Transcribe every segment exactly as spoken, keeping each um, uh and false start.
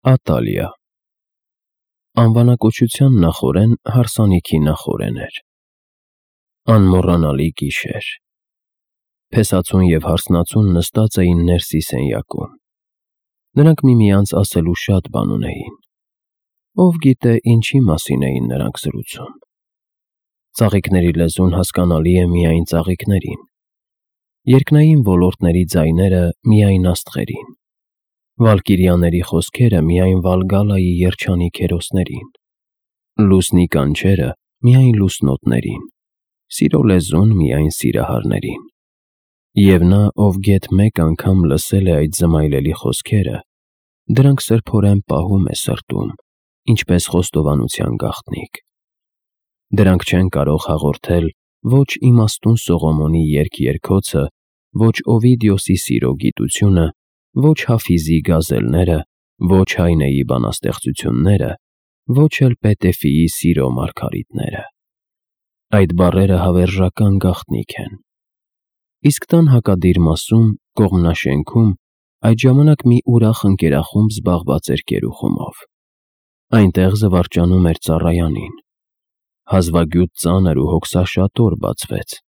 Ատալիա Անվանակոչության նախօրեն հարսանիքի նախօրեն էր։ Անմոռանալի գիշեր։ Փեսացուն և հարսնացուն նստած էին ներսի սենյակում։ Նրանք միմյանց ասելու շատ բան ունեին։ Ով գիտե, ինչի մասին էին նրանք զրուցում։ Ծաղիկների լեզուն հասկանալի է միայն ծաղիկներին, երկնային ոլորտների ձայները միայն աստղերին, վալկիրիաների խոսքերը միայն Վալգալայի երջանիկ հերոսներին, լուսնի կանչերը միայն լուսնոտներին, սիրո լեզուն միայն սիրահարներին։ Եվ նա, ով գեթ մեկ անգամ լսել է այդ զմայլելի խոսքերը, դրանք սրբորեն պահում է սրտում, ինչպես խոստովանության գաղտնիք։ Դրանք չեն կարող հաղորդել ոչ իմաստուն Սողոմոնի երգ-երգոցը, ոչ Օվիդիոսի սիրո գիտությունը, ոչ Հաֆիզի գազելները, ոչ Հայնեի բանաստեղծությունները, ոչ էլ Պետեֆիի սիրո մարգարիտները։ Այդ բառերը հավերժական գաղտնիք են։ Իսկ տան հակադիր մասում, կողմնաշենքում, այդ ժամանակ մի ուրախ ընկերախումբ զբաղված էր կերուխումով։ Այնտեղ զվարճանում էր ծառայանին։ Հազվագյուտ ծանր ու հոգսաշատ օր բացվեց։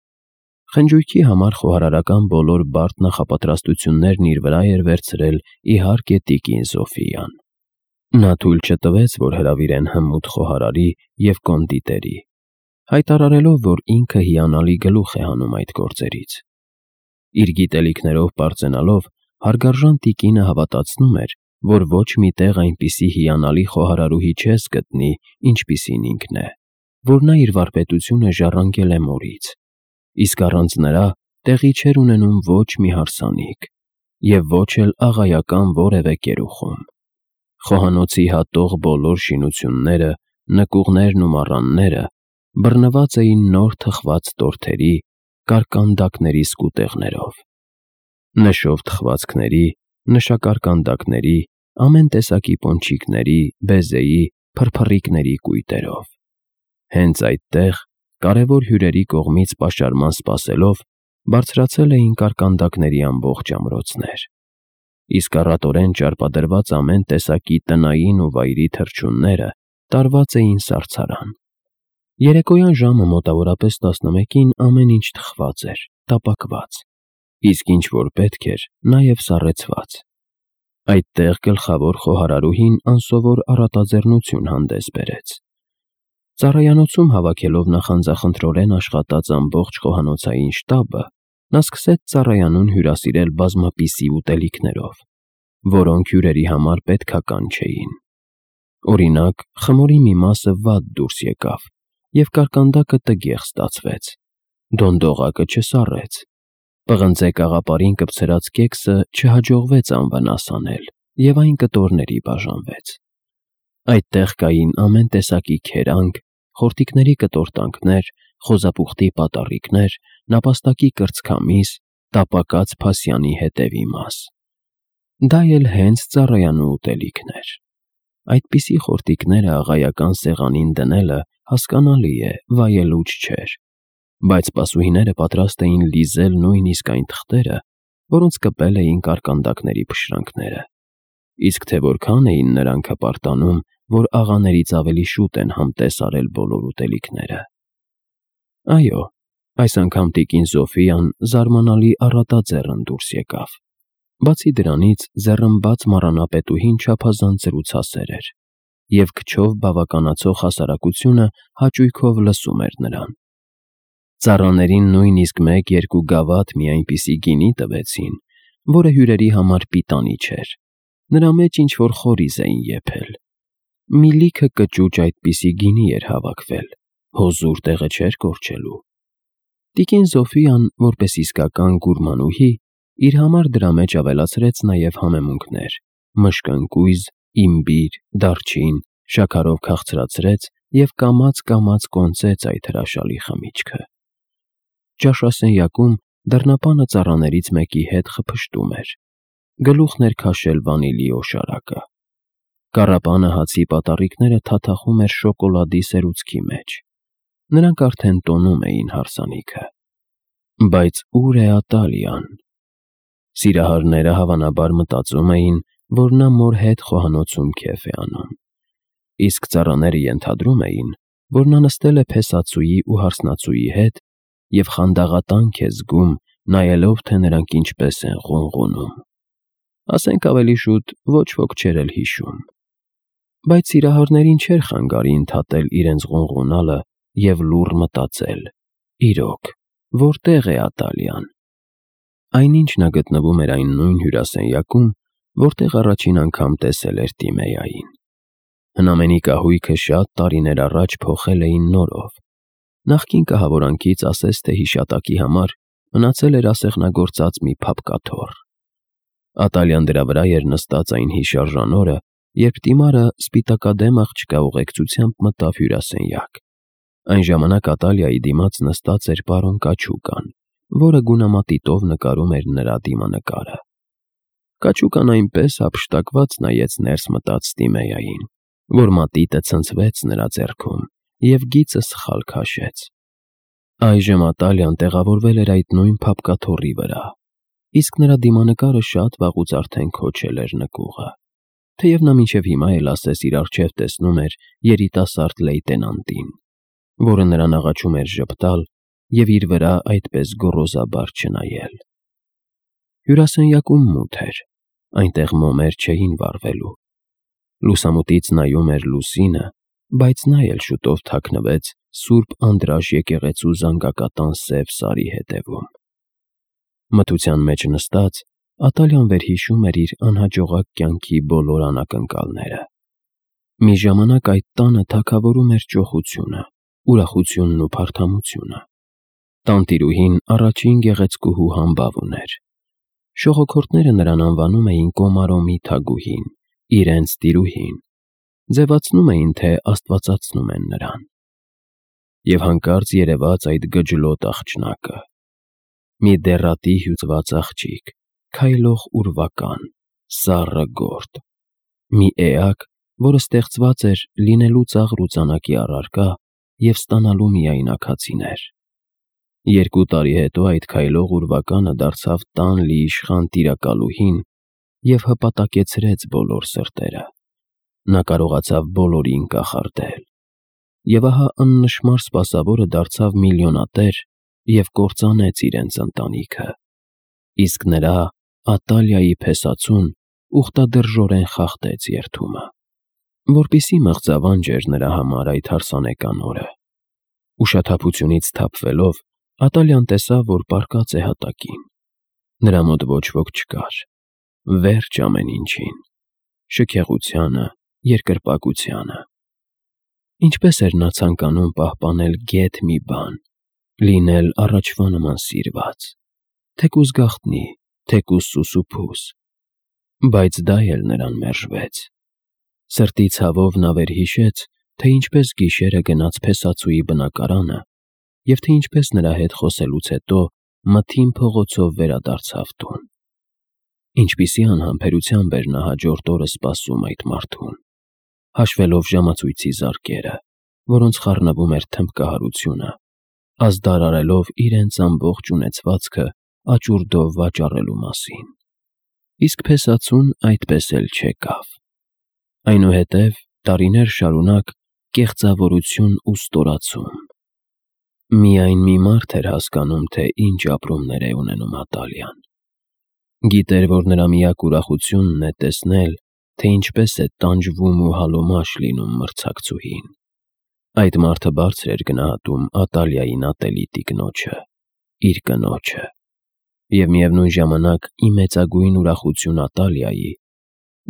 Խնջույքի համար խոհարարական բոլոր բարդ նախապատրաստություններն իր վրա էր վերցրել, իհարկե, տիկին Զոֆիան։ Նա թույլ չտվեց, որ հրավիրեն հմուտ խոհարարի և կոնդիտերի, հայտարարելով, որ ինքը հիանալի գլուխ է հանում այդ գործերից։ Իր գիտելիքներով պարծենալով, հարգարժան տիկինը հավատացնում էր, որ ոչ մի տեղ այնպիսի հիանալի խոհարարուհի չես գտնի, ինչպիսին ինքն է, որ նա իր վարպետությունը ժառանգել է մորից, իսկ առանց նրա տեղի չէր ունենում ոչ մի հարսանիք և ոչ էլ աղայական որևէ կերուխում։ Խոհանոցի հատող բոլոր շինությունները, նկուղներն ու մառանները բռնված էին նոր թխված տորթերի, կարկանդակների սկուտեղներով, նշով թխվածքների, նշակարկանդակների, ամեն տեսակի պոնչիկների, բեզեի, փրփռիկների կույտերով։ Հենց այդտեղ, կարևոր հյուրերի կողմից պաշարման սպասելով, բարձրացել էին կարկանդակների ամբողջ ամրոցներ, իսկ առատորեն ճարպադրված ամեն տեսակի տնային ու վայրի թռչունները տարված էին սառցարան։ Երեկոյան ժամը մոտավորապես տասնմեկին ամեն ինչ թխված էր, տապակված, իսկ ինչ որ պետք էր, նաև սառեցված։ Այդտեղ գլխավոր խոհարարուհին անսովոր առատաձեռնություն հանդես բերեց։ Ծառայանոցում հավաքելով նախանձախնդրորեն աշխատած ամբողջ խոհանոցային շտաբը, նա սկսեց ծառայանուն հյուրասիրել բազմապիսի ուտելիքներով, որոնք հյուրերի համար պետքական չէին։ Օրինակ, խմորի մի մասը վատ դուրս եկավ, և կարկանդակը տգեղ ստացվեց, դոնդողակը չսառեց, պղնձե կաղապարին կպցրած կեքսը չհաջողվեց անվնաս անել, և այն կտորների բաժանվեց։ Այդտեղ կային ամեն տեսակի քերանք, խորտիկների կտորտանքներ, խոզապուխտի պատառիկներ, նապաստակի կրծքամիս, տապակած փասյանի հետևի մաս։ Դա էլ հենց ծառայանու ուտելիքն էր։ Այդպիսի խորտիկները աղայական սեղանին դնելը, հասկանալի է, վայելուչ չէր, բայց սպասուհիները պատրաստ էին լիզել նույնիսկ այն թղթերը, որոնց կպել էին կարկանդակների փշրանքները, իսկ թե որքան էին նրանք հպարտանում, որ աղաներից ավելի շուտ են համտես արել բոլոր ուտելիքները։ Այո, այս անգամ տիկին Զոֆիան զարմանալի առատաձեռն դուրս եկավ։ Բացի դրանից, ձեռնբաց մառանապետուհին չափազանց զրուցասեր էր, և քչով բավականացող հասարակությունը հաճույքով լսում էր նրան։ Ծառաներին նույնիսկ մեկ-երկու գավաթ մի այնպիսի գինի տվեցին, որը հյուրերի համար պիտանի չէր, նրա մեջ ինչ-որ խորիզ էին եփել։ Մի լիքը կճուճ այդպիսի գինի էր հավաքվել, հոզուր տեղը չէր կորչելու։ Տիկին Զոֆիան, որպես իսկական գուրմանուհի, իր համար դրա մեջ ավելացրեց նաև համեմունքներ՝ մշկընկույզ, իմբիր, դարչին, շաքարով քաղցրացրեց և կամաց-կամաց կոնծեց այդ հրաշալի խմիչքը։ Ճաշասենյակում դռնապանը ծառաներից մեկի հետ խփշտում էր, գլուխն էր քաշել վանիլի օշարակը։ Կառապանը հացի պատառիկները թաթախում էր շոկոլադի սերուցքի մեջ։ Նրանք արդեն տոնում էին հարսանիքը։ Բայց ո՞ւր է Ատալիան։ Սիրահարները հավանաբար մտածում էին, որ նա մոր հետ խոհանոցում քեֆ է անում։ Իսկ ծառաները ենթադրում էին, որ նա նստել է փեսացուի ու հարսնացուի հետ և խանդաղատանք է զգում, նայելով, թե նրանք ինչպես են ղունղունում։ Ասենք ավելի շուտ ոչ ոք չէր էլ հիշում։ Բայց սիրահարներին չէր խանգարի ընդհատել իրենց ղունղունալը և լուռ մտածել. իրոք, որտե՞ղ է Ատալիան։ Այնինչ նա գտնվում էր այն նույն հյուրասենյակում, որտեղ առաջին անգամ տեսել էր Տիմեային։ Հնամենի կահույքը շատ տարիներ առաջ փոխել էին նորով։ Նախկին կահավորանքից ասես թե հիշատակի համար մնացել էր ասեղնագործած մի փափկաթոռ։ Ատալիան դրա վրա էր նստած այն հիշարժան օրը, երբ Տիմարը սպիտակադեմ աղջկա ուղեկցությամբ մտավ հյուրասենյակ։ Այն ժամանակ Ատալիայի դիմաց նստած էր պարոն Կաչուկան, որը գունամատիտով նկարում էր նրա դիմանկարը։ Կաչուկան այնպես հափշտակված նայեց ներս մտած Տիմեային, որ մատիտը ցնցվեց նրա ձեռքում և գիծը սխալ քաշեց։ Այժմ Ատալիան տեղավորվել էր այդ նույն փափկաթոռի վրա, իսկ նրա դիմանկարը շատ վաղուց արդեն քոչել էր նկուղը, թեև նա մինչև հիմա էլ ասես իր առջև տեսնում էր երիտասարդ լեյտենանտին, որը նրան աղաչում էր ժպտալ և իր վրա այդպես գոռոզաբար չնայել։ Հյուրասենյակում մութ էր, այնտեղ մոմեր չէին վառվելու։ Լուսամուտից նայում էր լուսինը, բայց նա էլ շուտով թաքնվեց Սուրբ Անդրաշ եկեղեցու զանգակատան սև սարի հետևում։ Մթության մեջ նստած՝ Ատալիան վերհիշում էր իր անհաջողակ կյանքի բոլոր անակնկալները։ Մի ժամանակ այդ տանը թագավորում էր ճոխությունը, ուրախությունն ու փարթամությունը։ Տանտիրուհին առաջին գեղեցկուհու համբավ ուներ։ Շողոքորթները նրան անվանում էին Կոմարոմի թագուհին, իրենց տիրուհին, ձևացնում էին, թե աստվածացնում են նրան։ Եվ հանկարծ երևաց այդ գջլոտ աղջնակը։ Մի դեռատի հյուծված աղջիկ, քայլող ուրվական, սառը գորտ։ Մի էակ, որը ստեղծված էր լինելու ծաղր ու ծանակի առարկա և ստանալու միայնակացիներ։ Երկու տարի հետո այդ քայլող ուրվականը դարձավ տան լի իշխան տիրակալուհին և հպատակեցրեց բոլոր սրտերը։ Նա կարողացավ բոլորին կախարդել։ Եվ ահա աննշմար սպասավորը դարձավ միլիոնատեր և կործանեց իրենց ընտանիքը։ Իսկ նրա՝ Ատալիայի փեսացուն ուխտադրժորեն խախտեց երդումը։ Որպեսզի մղձավանջ էր նրա համար այդ հարսանեկան օրը։ Ուշաթափությունից թափվելով՝ Ատալիան տեսավ, որ պառկած է հատակին։ Նրա մոտ ոչ ոք չկար։ Վերջ ամեն ինչին՝ շքեղությանը, երկրպագությանը։ Ինչպես էր նա ցանկանում պահպանել գեթ մի բան, լինել առաջվա նման սիրված, թեկուզ գաղտնի, թեկուզ սուսուփուս։ Բայց դա էլ նրան մերժվեց։ Սրտի ցավով նա վերհիշեց, թե ինչպես գիշերը գնաց փեսացուի բնակարանը և թե ինչպես նրա հետ խոսելուց հետո մթին փողոցով վերադարձավ տուն։ Ինչպիսի անհամբերությամբ էր նա հաջորդ օրը սպասում այդ մարդուն, հաշվելով ժամացույցի զարկերը, որոնց խառնվում էր թմբկահարությունը, ազդար արելով իրենց ամբողջ ունեցվածքը աճուրդով վաճառելու մասին։ Իսկ փեսացուն այդպես էլ չեկավ։ Այնուհետև տարիներ շարունակ կեղծավորություն ու ստորացում։ Միայն մի մարդ էր հասկանում, թե ինչ ապրումներ է ունենում Ատալիան։ Գիտեր, որ նրա միակ ուրախությունն է տեսնել, թե ինչպես է տանջվում ու հալոմաշ լինում մրցակցուհին։ Այդ մարդը բարձր էր գնահատում Ատալիային ատելի տիկնոջը, իր կնոջը։ Եվ միևնույն ժամանակ ի մեծագույն ուրախություն Ատալիայի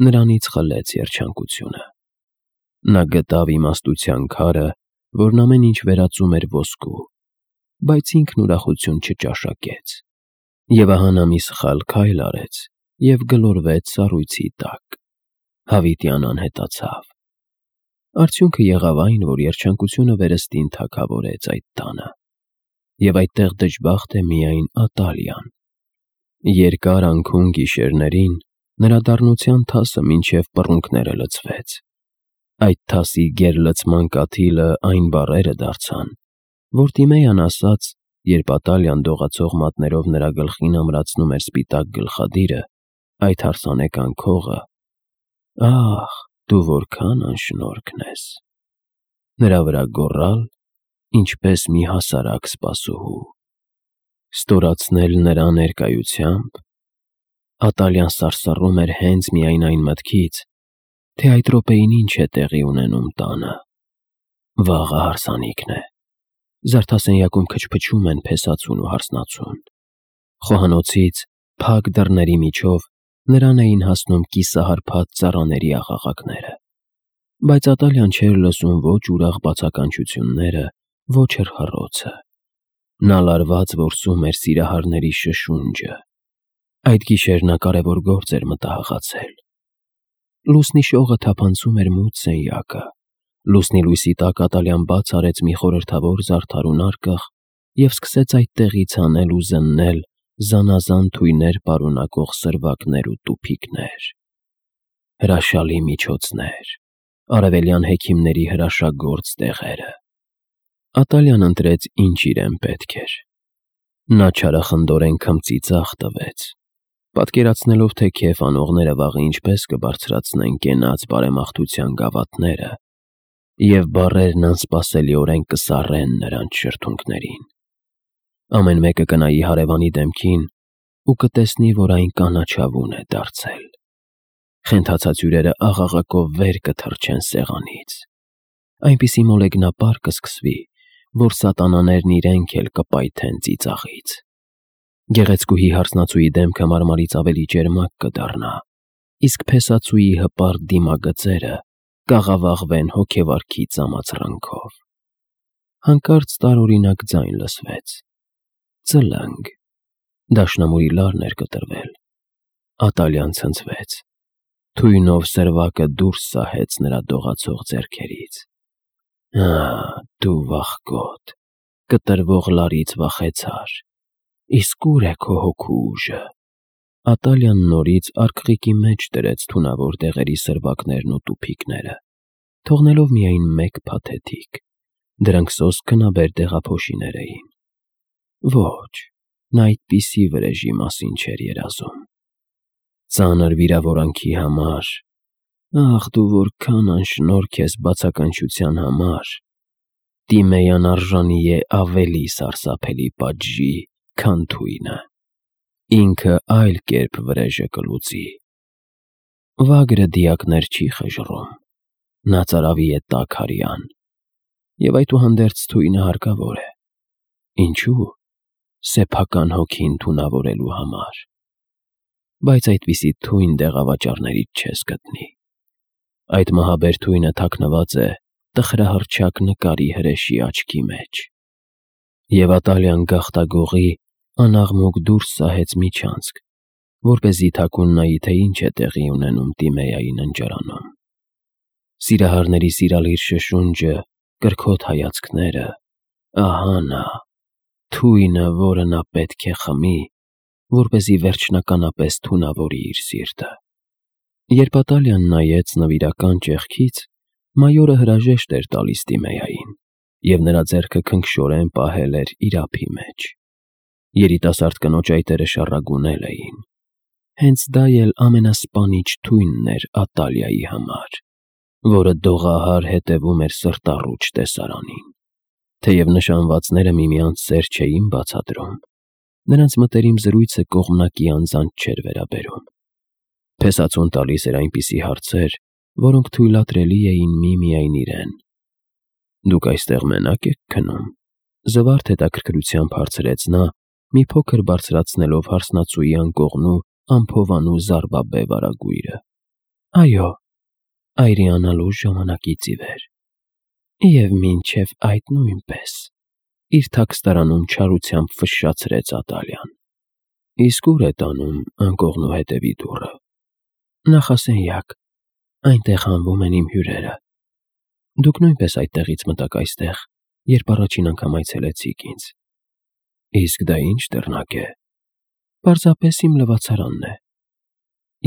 նրանից խլեց երջանկությունը։ Նա գտավ իմաստության քարը, որն ամեն ինչ վերածում էր ոսկու, բայց ինքն ուրախություն չճաշակեց։ Եվ ահա նա մի սխալ քայլ արեց և գլորվեց սառույցի տակ։ Հավիտյան անհետացավ։ Արդյունքը եղավ այն, որ երջանկությունը վերստին թագավորեց այդ տանը։ Եվ այդտեղ դժբախտ է միայն Ատալիան։ Երկար անքուն գիշերներին նրա դառնության թասը մինչև պռունգները լցվեց։ Այդ թասի գերլցման կաթիլը այն բառերը դարձան, որ Տիմեյան ասաց, երբ Ատալիան դողացող մատներով նրա գլխին ամրացնում էր սպիտակ գլխադիրը, այդ հարսանեկան քողը Ահ, դու որքան անշնորհքն ես։ Նրա վրա գոռալ, ինչպես մի հասարակ սպասուհու։ Ստորացնել նրա ներկայությամբ։ Ատալյան սարսռում էր հենց միայն այն մտքից, թե այդ րոպեին ինչ է տեղի ունենում տանը։ Վաղը հարսանիքն է։ Զարդասենյակում քչփչում են փեսացուն ու հարսնացուն։ Խոհանոցից փակ դռների միջով նրան էին հասնում կիսահարփած ծառաների աղաղակները։ Բայց Ատալյան չէր լսում ոչ ուրախ բացականչությունները, ոչ էլ հռոցը։ Նա լարված որսում էր սիրահարների շշունջը։ Այդ գիշեր նա կարևոր գործ էր մտահղացել։ Լուսնի շողը թափանցում էր մութ սենյակը։ Լուսնի լույսի տակ Ատալյան բաց արեց մի խորհրդավոր զարդարուն արկղ և սկսեց այդտեղից հանել ու զննել զանազան թույներ պարունակող սրվակներ ու տուփիկներ։ Հրաշալի միջոցներ, արևելյան հեքիմների հրաշագործ տեղերը։ Ատալյան ընտրեց, ինչ իրեն պետք էր։ Նա չարախնդորեն քմծի ձախ տվեց, պատկերացնելով, թե քեֆ անողները վաղը ինչպես կբարձրացնեն կենաց բարեմաղթության գավաթները, և բառերն անսպասելիորեն կսառեն նրանց շրթունքներին։ Ամեն մեկը կնայի հարևանի դեմքին ու կտեսնի, որ այն կանաչավուն է դարձել։ Խենթացած հյուրերը աղաղակով վեր կթռչեն սեղանից։ Այնպիսի մոլեգնապար կսկսվի, որ սատանաներն իրենք էլ կպայթեն ծիծաղից։ Գեղեցկուհի հարսնացուի դեմքը մարմարից ավելի ճերմակ կդառնա, իսկ փեսացուի հպարտ դիմագծերը կաղավաղվեն հոգեվարքի ծամացրանքով։ Հանկարծ տարօրինակ ձայն լսվեց. ծլնգ։ Դաշնամուրի լարն էր կտրվել։ Ատալյան ցնցվեց։ Թույնով սրվակը դուրս սահեց նրա դողացող ձեռքերից։ Ահ, դու վախկոտ, կտրվող լարից վախեցար։ Իսկ ուր է քո հոգու ուժը։ Ատալյան նորից արկղիկի մեջ դրեց թունավոր դեղերի սրվակներն ու տուփիկները, թողնելով միայն մեկ փաթեթիկ։ Դրանք սոսկ քնաբեր դեղափոշիներ էին։ Ոչ, նա այդպիսի վրեժի մասին չէր երազում։ Ծանր վիրավորանքի համար, ախ, դու որքան անշնորհք ես բացականչության համար, Տիմեյան արժանի է ավելի սարսափելի պատժի, քան թույնը։ Ինքը այլ կերպ վրեժը կլուծի։ Վագրը դիակներ չի խժռում։ Նա ծարավի է տաք հարյան, և այդուհանդերձ թույնը հարկավոր է։ Ինչու՞։ Սեփական հոգին թունավորելու համար։ Բայց այդպիսի թույն դեղավաճառներից չես գտնի։ Այդ մահաբեր թույնը թաքնված է տխրահռչակ նկարի հրեշի աչքի մեջ։ Եվ Ատալյան գաղտագողի անաղմուկ դուրս սահեց միջանցք, որպեսզի թաքուն նայի, թե ինչ է տեղի ունենում Տիմեայի ննջարանում։ Սիրահարների սիրալիր շշունջը, կրքոտ հայացքները, ահա նա, թույնը, որը նա պետք է խմի, որպեսզի վերջնականապես թունավորի իր սիրտը։ Երբ Ատալյան նայեց նվիրական ճեղքից, մայորը հրաժեշտ էր տալիս Տիմեային, և նրա ձեռքը քնքշորեն պահել էր իր ափի մեջ։ Երիտասարդ կնոջ այտերը շառագունել էին։ Հենց դա էլ ամենասպանիչ թույնն էր Ատալիայի համար, որը դողահար հետևում էր սրտառուչ տեսարանին։ Թեև նշանվածները միմյանց սեր չէին բացատրում, նրանց մտերիմ զրույցը կողմնակի անձանց չէր վերաբերում։ Փեսացուն տալիս էր այնպիսի հարցեր, որոնք թույլատրելի էին միմիայն իրեն։ Դուք այստեղ մենակ եք քնում։ Զվարթ հետաքրքրությամբ հարցրեց նա, մի փոքր բարձրացնելով հարսնացուի անկողնու ամփովանու զառվաբե վարագույրը։ Այո, այրի անալուր ժամանակից ի վեր։ Եվ մինչև այդ նույնպես, իր թաքստարանում չարությամբ ֆշշացրեց Ատալյան։ Իսկ ուր է տանում անկողնու հետևի դուռը։ Նախասենյակ, այնտեղ հանվում են իմ հյուրերը։ Դուք նույնպես այդտեղից մտաք այստեղ, երբ առաջին անգամ այցելեցիք ինձ։ Իսկ դա ինչ դռնակ է։ Պարզապես իմ լվացարանն է։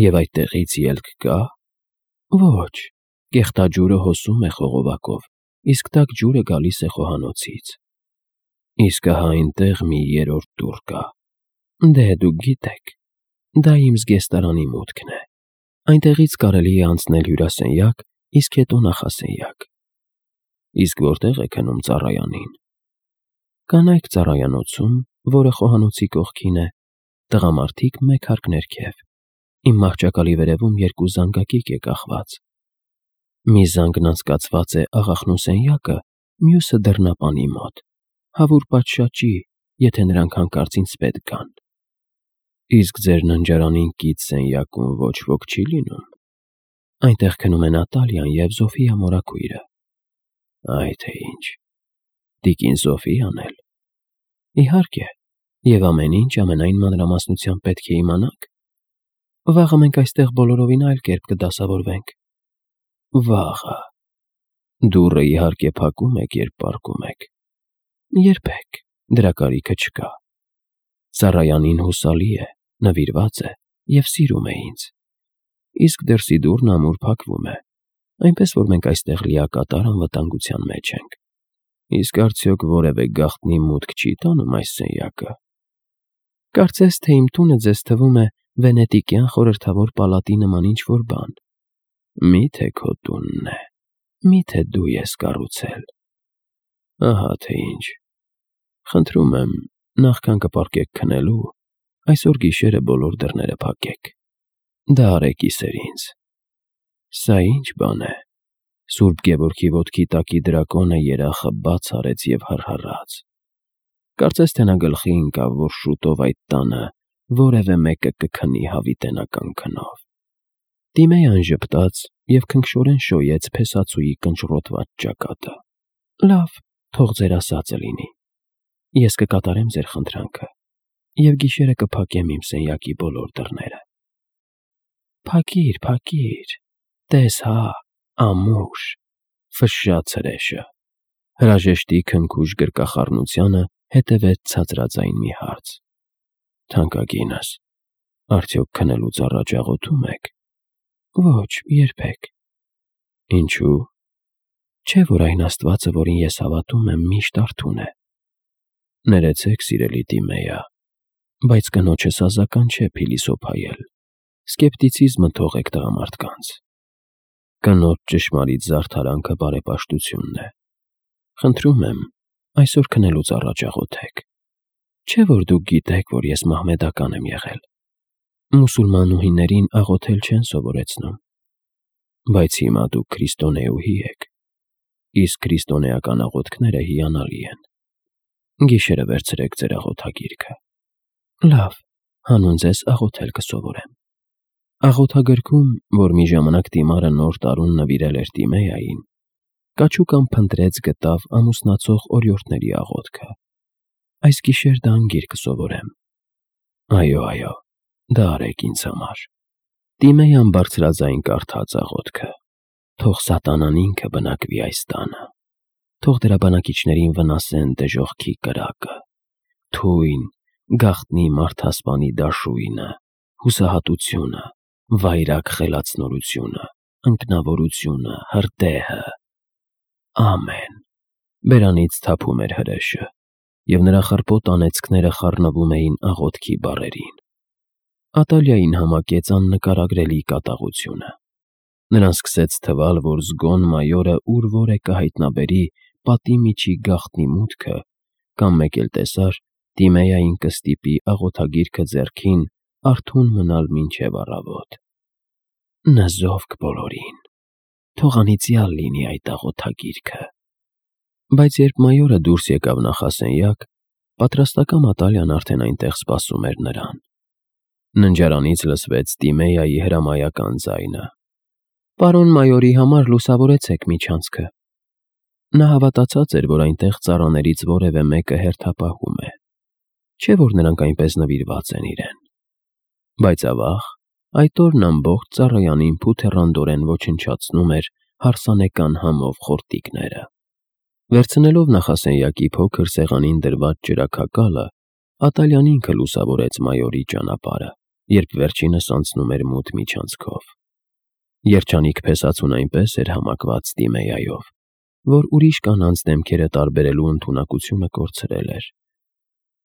Եվ այդտեղից ելք կա։ Ոչ, կեղտաջուրը հոսում է խողովակով, իսկ տաք ջուրը գալիս է խոհանոցից։ Իսկ ահա այնտեղ մի երրորդ դուռ կա։ Դե, դուք գիտեք, դա իմ զգեստարանի մուտքն է։ Այնտեղից կարելի է անցնել հյուրասենյակ, իսկ հետո նախասենյակ։ Իսկ որտեղ է քնում ծառայանին։ Կանայք ծառայանոցում, որը խոհանոցի կողքին է, տղամարդիկ մեկ հարկ ներքև։ Իմ մահճակալի վերևում երկու զանգակիկ է կախված։ Մի զանգն անցկացված է աղախնու սենյակը, մյուսը դռնապանի մոտ, հավուր պատշաճի, եթե նրանք հանկարծ ինձ պետք գան։ Իսկ ձեր ննջարանին կից սենյակում ոչ ոք չի լինում։ Այնտեղ քնում են Ատալիան և Զոֆիա մորաքույրը։ Այ թե ինչ, տիկին Զոֆիան էլ։ Իհարկե, և ամեն ինչ ամենայն մանրամասնությամբ պետք է իմանաք։ Վաղը մենք այստեղ բոլորովին այլ կերպ կդասավորվենք։ Վաղը։ Դուռը իհարկե փակում եք, երբ պառկում եք։ Երբեք, դրա կարիքը չկա։ Ծառայանին հուսալի է, նվիրված է և սիրում է ինձ։ Իսկ դրսի դուռն ամուր փակվում է, այնպես որ մենք այստեղ լիակատար անվտանգության մեջ ենք։ Իսկ արդյոք որևէ գաղտնի մուտք չի տանում այս սենյակը։ Կարծես թե իմ տունը ձեզ թվում է վենետիկյան խորհրդավոր պալատի նման ինչ-որ բան։ Մի՞թե քո տունն է, մի՞թե դու ես կառուցել։ Ահա թե ինչ։ Խնդրում եմ, նախքան կպառկեք քնելու, այսօր գիշերը բոլոր դռները փակեք։ Դա արեք իսեր ինձ։ Սա ինչ բան է։ Սուրբ Գևորգի ոտքի տակի դրակոնը երախը բաց արեց և հռհռաց։ Կարծես թե նա գլխի ընկավ, որ շուտով այդ տանը որևէ մեկը կքնի հավիտենական քնով։ Տիմեյան ժպտաց և քնքշորեն շոյեց փեսացուի կնճռոտված ճակատը։ Լավ, թող ձեր ասածը լինի։ Ես կկատարեմ ձեր խնդրանքը և գիշերը կփակեմ իմ սենյակի բոլոր դռները։ Փակիր, փակիր, տես հա, ամուր, ֆշշաց հրեշը։ Հրաժեշտի քնքուշ գրկախառնությանը հետևեց ցածրաձայն մի հարց։ Թանկագինս, արդյոք քնելուց առաջ աղոթում եք։ Ոչ, երբեք։ Ինչու՞։ Չէ՞ որ այն Աստվածը, որին ես հավատում եմ, միշտ արթուն է։ Ներեցեք, սիրելի Տիմեյա, բայց կնոջս ազական չէ փիլիսոփայել։ Սկեպտիցիզմը թողեք տղամարդկանց։ Կնոջ ճշմարիտ զարդարանքը բարեպաշտությունն է։ Խնդրում եմ, այսօր քնելուց առաջ աղոթեք։ Չէ՞ որ դուք գիտեք, որ ես մահմեդական եմ եղել։ Մուսուլմանուհիներին աղոթել չեն սովորեցնում։ Բայց հիմա դուք քրիստոնեուհի եք։ Իսկ քրիստոնեական աղոթքները հիանալի են։ Գիշերը վերցրեք ձեր աղոթագիրքը։ Լավ, հանուն ձեզ աղոթել կսովորեմ։ Աղոթագրքում, որ մի ժամանակ Տիմարը նոր տարուն նվիրել էր Տիմեյային, կաչուկան փնտրեց գտավ ամուսնացող օրիորդների աղոթքը։ Այս գիշեր դա անգիր կսովորեմ։ Այո, այո, դա արեք ինձ համար։ Տիմեյան բարձրաձայն կարդաց աղոթքը։ Թող սատանան ինքը բնակվի այս տանը։ Թող դրա բնակիչներին վնասեն դժոխքի կրակը։ Թույն, գաղտնի մարդասպանի դաշույնը, հուսահատությունը, վայրագ խելացնորությունը, ընկնավորությունը, հրդեհը։ Ամեն։ Բերանից թափում էր հրեշը, և նրա խռպոտ անեծքները խառնվում էին աղոթքի բառերին։ Ատալիային համակեց աննկարագրելի կատաղությունը։ Նրան սկսեց թվալ, որ զգոն մայորը ուր որ է կհայտնաբերի պատի միջի գաղտնի մուտքը, կամ մեկ էլ տեսար Տիմեյային կստիպի աղոթագիրքը ձեռքին արթուն մնալ մինչև առավոտ։ Նզովք բոլորին, թող անիծյալ լինի այդ աղոթագիրքը։ Բայց երբ մայորը դուրս եկավ նախասենյակ, պատրաստակամ Ատալիան արդեն այնտեղ սպասում էր նրան։ Ննջարանից լսվեց Տիմեյայի հրամայական ձայնը։ Պարոն մայորի համար լուսավորեցեք միջանցքը։ Նա հավատացած էր, որ այնտեղ ծառաներից որևէ մեկը հերթապահում է։ Չէ՞ որ նրանք այնպես նվիրված են իրեն։ Բայց ավաղ, այդ օրն ամբողջ ծառայանին փութեռանդորեն ոչնչացնում էր հարսանեկան համով խորտիկները։ Վերցնելով նախասենյակի փոքր սեղանին դրված ջրաքակալը, Ատալիան ինքը լուսավորեց մայորի ճանապարհը, երբ վերջինս անցնում էր մութ միջանցքով։ Երջանիկ փեսացուն այնպես էր համակված Տիմեյայով, որ ուրիշ կանանց դեմքերը տարբերելու ընդունակությունը կորցրել էր։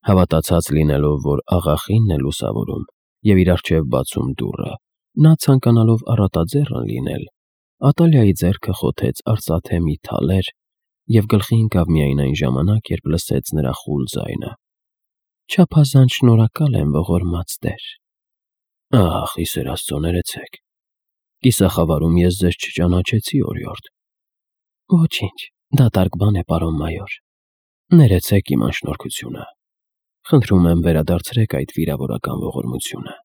Հավատացած լինելով, որ աղախինն է լուսավորում և իր առջև բացում դուռը, Նա ցանկանալով առատաձեռն լինել, Ատալիայի ձեռքը խոթեց արծաթե մի թալեր և գլխի ընկավ միայն այն ժամանակ, երբ լսեց նրա խուլ ձայնը. «Չափազանց շնորհակալ եմ, ողորմած տեր»։ «Ախ, ի սեր Աստծո, ներեցեք, կիսախավարում ես ձեզ չճանաչեցի, օրիորդ»։ «Ոչինչ, դատարկ բան է, պարոն մայոր»։ «Ներեցեք իմ անշնորհքությունը, խնդրում եմ վերադարձրեք այդ վիրավորական ողորմությունը»։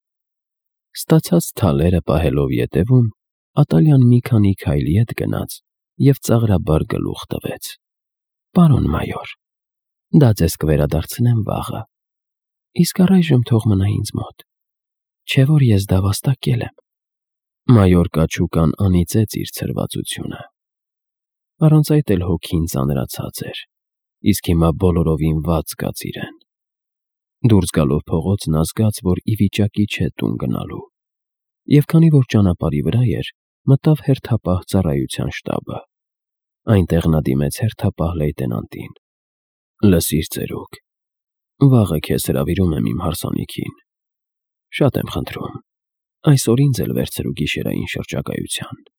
Ստացած թալերը պահելով ետևում, Ատալիան մի քանի քայլ ետ գնաց և ծաղրաբար գլուխ տվեց. «Պարոն մայոր, դա ձեզ կվերադարձնեմ վաղը, իսկ առայժմ թող մնա ինձ մոտ, չէ՞ որ ես դա վաստակել եմ»։ Մայոր կաչուկան անիծեց իր ցրվածությունը։ Առանց այդ էլ հոգին ծանրացած էր, իսկ հիմա բոլորովին վատ զգաց իրեն։ Դուրս գալով փողոց նա զգաց, որ ի վիճակի չէ տուն գնալու, և քանի որ ճանապարհի վրա էր, մտավ հերթապահ ծառայության շտաբը։ Այնտեղ նա դիմեց հերթապահ լեյտենանտին. «Լսիր, ծերուկ, վաղը քեզ հրավիրում եմ իմ հարսանիքին։ Շատ եմ խնդրում, այսօր ինձ էլ վերցրու գիշերային շրջագայության»։